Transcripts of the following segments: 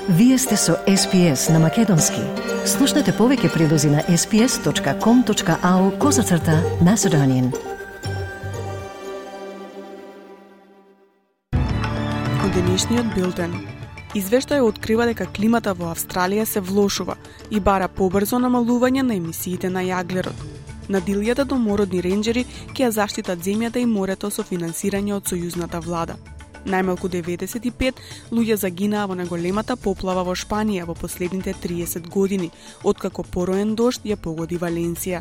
Вие сте со SPS на Македонски. Слушнете повеќе прилози на sps.com.au/Macedonian. Од денешниот билтен. Извештај открива дека климата во Австралија се влошува и бара побрзо намалување на емисиите на јаглерод. На дилјата домородни ренџери ќе ја заштитат земјата и морето со финансирање од сојузната влада. Најмалку 95 луѓе загинаа во најголемата поплава во Шпанија во последните 30 години, откако пороен дожд ја погоди Валенсија.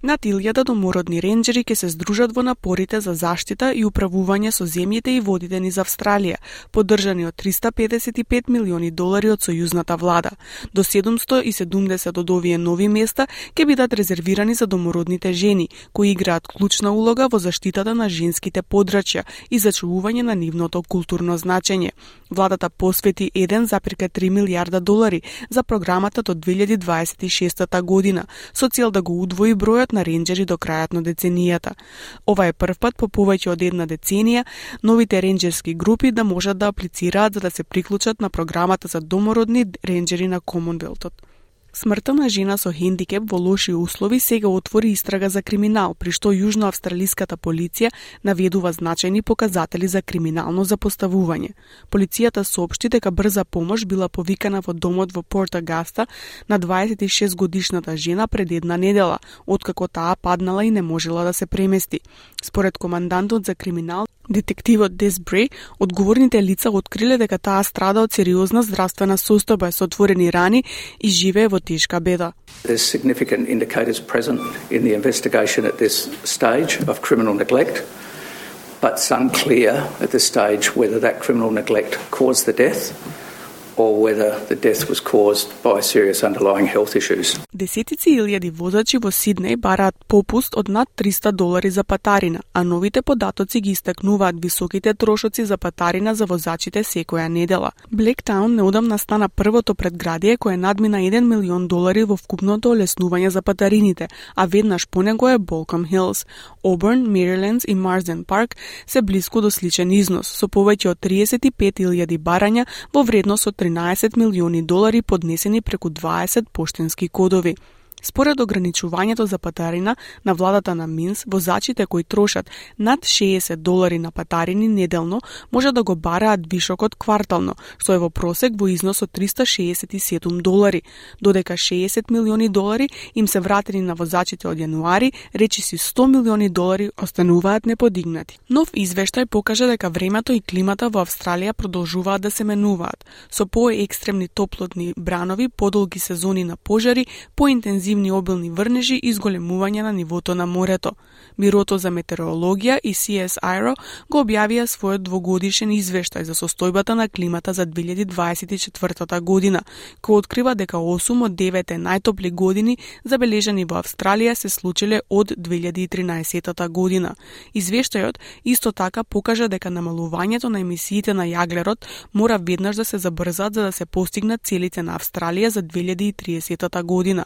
На тилјада домородни ренџери ќе се здружат во напорите за заштита и управување со земјите и водите низ Австралија, поддржани од $355 милиони од сојузната влада. До 770 од овие нови места ќе бидат резервирани за домородните жени, кои играат клучна улога во заштитата на женските подрачја и зачувување на нивното културно значење. Владата посвети $1,3 милијарда за програмата до 2026 година, со цел да го удвои бројот на ренџери до крајот на деценијата. Ова е првпат по повеќе од една деценија новите ренџерски групи да можат да аплицираат за да се приклучат на програмата за домородни ренџери на Комонвелтот. Смртта на жена со хендикеп во лоши услови сега отвори истрага за криминал, при што јужноавстралиската полиција наведува значајни показатели за криминално запоставување. Полицијата соопшти дека брза помош била повикана во домот во Порт Агаста на 26 годишната жена пред една недела, откако таа паднала и не можела да се премести. Според командантот за криминал, детективот Дес Бре, одговорните лица откриле дека таа страда од сериозна здравствена состојба со отворени рани и живее во тешка беда. There's significant indicators present in the investigation at this stage of criminal neglect, but it's unclear at this stage whether that criminal neglect caused the death or whether the death was caused by serious underlying health issues. Десетици илјади возачи во Сиднеј бараат попуст од над $300 за патарина, а новите податоци ги истакнуваат високите трошоци за патарина за возачите секоја недела. Блектаун неодамна стана првото предградие кое надмина $1 милион во вкупното олеснување за патарините, а веднаш по него е Болком Хилс. Оберн, Мерилендс и Марсден Парк се блиску до сличен износ, со повеќе од 35.000 барања во вредност од $13 милиони поднесени преку 20 поштенски кодови. Според ограничувањето за патарина на владата на Минс, возачите кои трошат над $60 на патарини неделно може да го бараат вишокот квартално, што е во просек во износ од $367, додека $60 милиони им се вратени на возачите од јануари, речиси $100 милиони остануваат неподигнати. Нов извештај покажа дека времето и климата во Австралија продолжуваат да се менуваат, со поекстремни топлотни бранови, подолги сезони на пожари, поинтензивни обилни врнежи и зголемување на нивото на морето. Бирото за метеорологија и CSIRO го објавија својот двогодишен извештај за состојбата на климата за 2024 година, кој открива дека 8 од 9 најтопли години забележани во Австралија се случиле од 2013 година. Извештајот исто така покажа дека намалувањето на емисиите на јаглерод мора веднаш да се забрзат за да се постигнат целите на Австралија за 2030 година.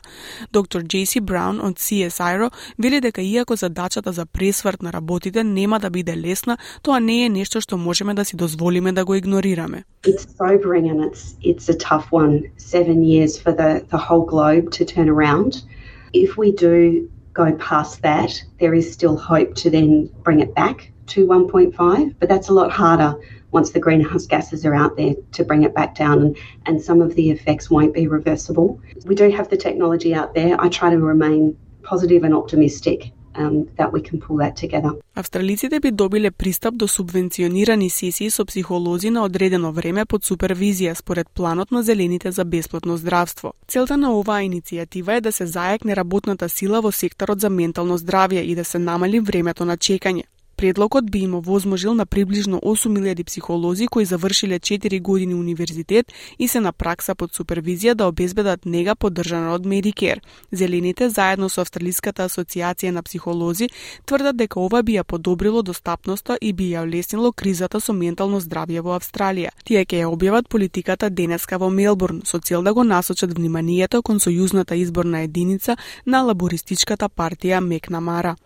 Доктор Джейси Браун од CSIRO вели дека иако задачата за пресврт на работите нема да биде лесна, тоа не е нешто што можеме да си дозволиме да го игнорираме. It's sobering and it's a tough one. 7 years for the whole globe to turn around. If we do go past that, there is still hope to then bring it back to 1.5, but that's a lot harder once the greenhouse gases are out there to bring it back down and some of the effects won't be reversible. We do have the technology out there. I try to remain positive and optimistic that we can pull that together. Австралиците би добиле пристап до субвенционирани сесии со психолози на одредено време под супервизија според планот на зелените за бесплатно здравство. Целта на оваа иницијатива е да се зајакне работната сила во секторот за ментално здравје и да се намали времето на чекање. Предлогот би им овозможил на приближно 8.000 психолози кои завршиле 4 години универзитет и се на пракса под супервизија да обезбедат нега поддржана од Medicare. Зелените, заедно со Австралиската асоциација на психолози, тврдат дека ова би ја подобрило достапноста и би ја олеснило кризата со ментално здравје во Австралија. Тие ќе ја објават политиката денеска во Мелбурн со цел да го насочат вниманието кон сојузната изборна единица на лабористичката партија Мекнамара.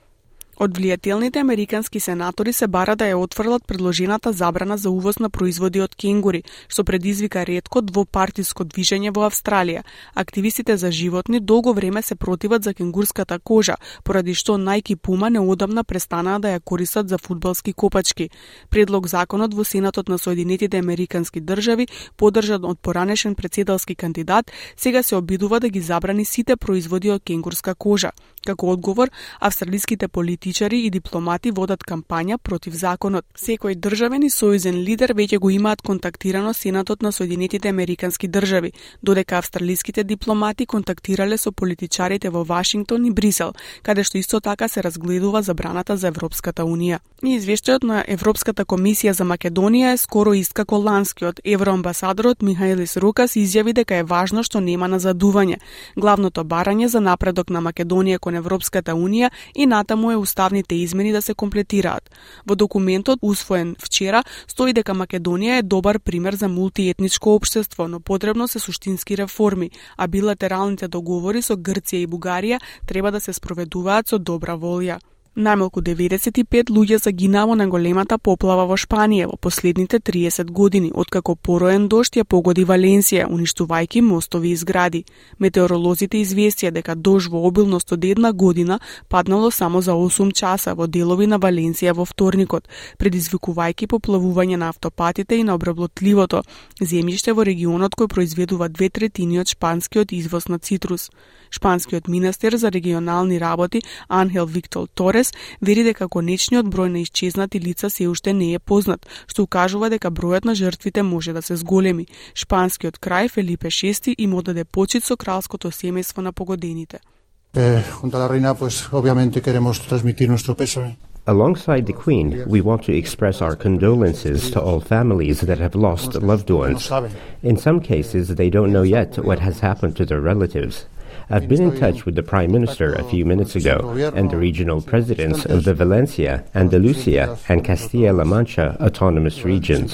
Од влијателните американски сенатори се бара да ја отфрлат предложената забрана за увоз на производи од кенгури, што предизвика ретко двопартиско движење во Австралија. Активистите за животни долго време се противат за кенгурската кожа, поради што Nike Puma неодамна престанаа да ја користат за фудбалски копачки. Предлог законот во Сенатот на Соединетите Американски држави, поддржан од поранешен претседалски кандидат, сега се обидува да ги забрани сите производи од кенгурска кожа. Како одговор, австралиските политичари и дипломати водат кампања против законот. Секој државен и сојузен лидер веќе го имаат контактирано Сенатот на Соединетите Американски држави, додека австралиските дипломати контактирале со политичарите во Вашингтон и Брисел, каде што исто така се разгледува забраната за Европската Унија. И извештајот на Европската комисија за Македонија е скоро ист како ланскиот. Евроамбасадорот Михаилис Рукас изјави дека е важно што нема назадување. Главното барање за напредок на Македонија кон Европската Унија и натаму е уставните измени да се комплетираат. Во документот, усвоен вчера, стои дека Македонија е добар пример за мултиетничко општество, но потребно се суштински реформи, а билатералните договори со Грција и Бугарија треба да се спроведуваат со добра волја. Најмалку 95 луѓе загинаа во најголемата поплава во Шпанија во последните 30 години, откако пороен дожд ја погоди Валенсија, уништувајќи мостови и згради. Метеоролозите известија дека дожд во обилност од една година паднало само за 8 часа во делови на Валенсија во вторникот, предизвикувајќи поплавување на автопатите и на обработливото земјиште во регионот кој произведува 2/3 од шпанскиот извоз на цитрус. Шпанскиот министер за регионални работи Анхел Виктор Торес вери дека конечниот број на исчезнати лица се уште не е познат, што укажува дека бројот на жртвите може да се зголеми. Шпанскиот крај Фелипе VI им одаде почит со кралското семејство на погодените. Junto a la reina, pues obviamente queremos transmitir nuestro pésame. Alongside the Queen, we want to express our condolences to all families that have lost loved ones. In some cases, they don't know yet what has happened to their relatives. I've been in touch with the Prime Minister a few minutes ago and the regional presidents of the Valencia, Andalusia, and Castilla-La Mancha autonomous regions.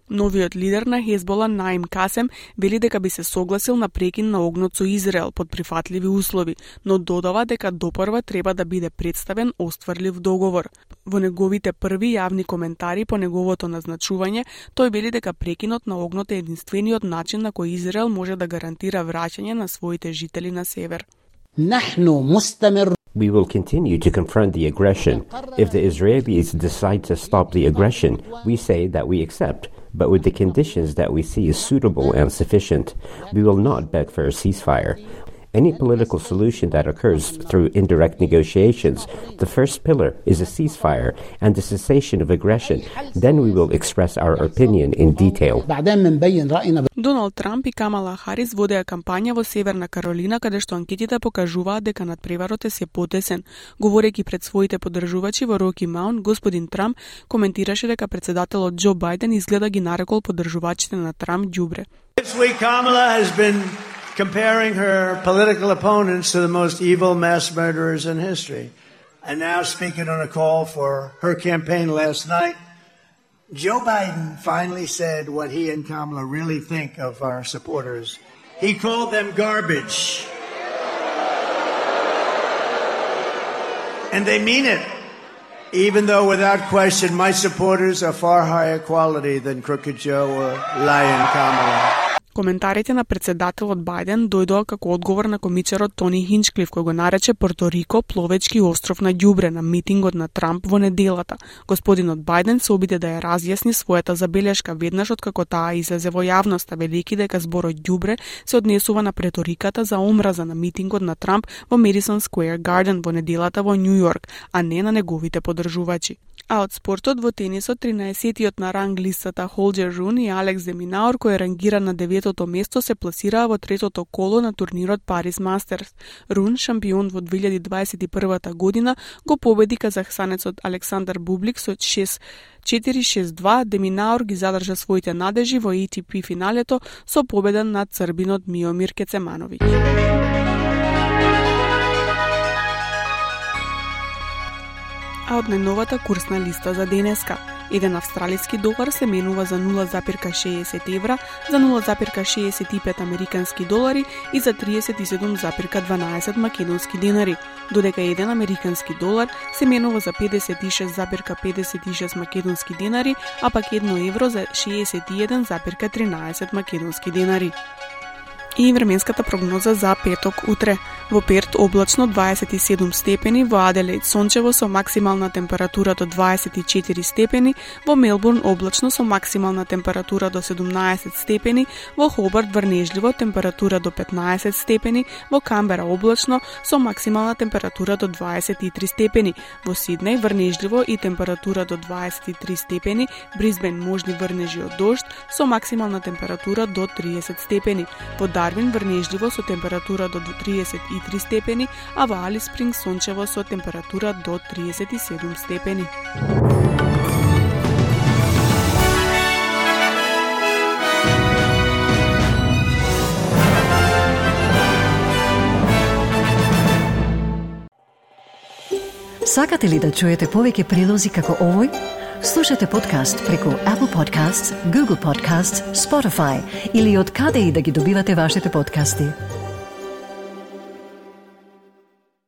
Новиот лидер на Хезбола Наим Касем вели дека би се согласил на прекин на огнот со Израел под прифатливи услови, но додава дека допрва треба да биде представен остварлив договор. Во неговите први јавни коментари по неговото назначување, тој вели дека прекинот на огнот е единствениот начин на кој Израел може да гарантира враќање на своите жители на север. We will continue to confront the aggression. If the Israelis decide to stop the aggression, we say that we accept, but with the conditions that we see is suitable and sufficient. We will not beg for a ceasefire. Any political solution that occurs through indirect negotiations, the first pillar is a ceasefire and the cessation of aggression. Then we will express our opinion in detail. Доналд Трамп и Камала Харис водеа кампања во Северна Каролина, каде што анкетите покажуваат дека надпреварот е се потесен. Говорејќи пред своите поддржувачи во Роки Маунт, господин Трамп коментираше дека председателот Џо Бајден изгледа ги нарекол поддржувачите на Трамп ѓубре. Comparing her political opponents to the most evil mass murderers in history. And now speaking on a call for her campaign last night, Joe Biden finally said what he and Kamala really think of our supporters. He called them garbage. And they mean it. Even though without question my supporters are far higher quality than Crooked Joe or Lion Kamala. Коментарите на председателот Бајден дојдоа како одговор на комичарот Тони Хинчклиф, кој го нарече Порто Рико пловечки остров на ѓубре на митингот на Трамп во неделата. Господинот Бајден се обиде да ја разјасни својата забелешка веднаш откако таа излезе во јавноста, велики дека зборот ѓубре се однесува на преториката за омраза на митингот на Трамп во Madison Square Garden во неделата во Њу Јорк, а не на неговите поддржувачи. А од спортот во тенисот 13-тиот на ранг листата Холџер Рун и Алекс де Минаур, кој е рангиран на 9-то место, се пласираа во третото коло на турнирот Парис Мастерс. Рун, шампион во 2021 година, го победи казахстанецот Александар Бублик со 4-6-2. Де Минаур ги задржа своите надежи во ATP финалето со победа над србинот Миомир Кецемановиќ. А од најновата курсна листа за денеска. Еден австралиски долар се менува за 0,60 евра, за 0,65 американски долари и за 37,12 македонски денари, додека еден американски долар се менува за 56,56 македонски денари, а пак 1 евро за 61,13 македонски денари. И временската прогноза за петок утре. Во Перт облачно 27 степени, во Аделаид сончево со максимална температура до 24 степени, во Мелбурн облачно со максимална температура до 17 степени, во Хобарт врнежливо температура до 15 степени, во Камбера облачно со максимална температура до 23 степени, во Сиднеј врнежливо и температура до 23 степени, Брисбен можни врнежи од дожд со максимална температура до 30 степени, во Дарвин врнежливо со температура до 33 степени, а во Алис Спрингс сончево со температура до 37 степени. Сакате ли да чуете повеќе прилози како овој? Слушате подкаст преку Apple Podcasts, Google Podcasts, Spotify или од каде и да ги добивате вашите подкасти.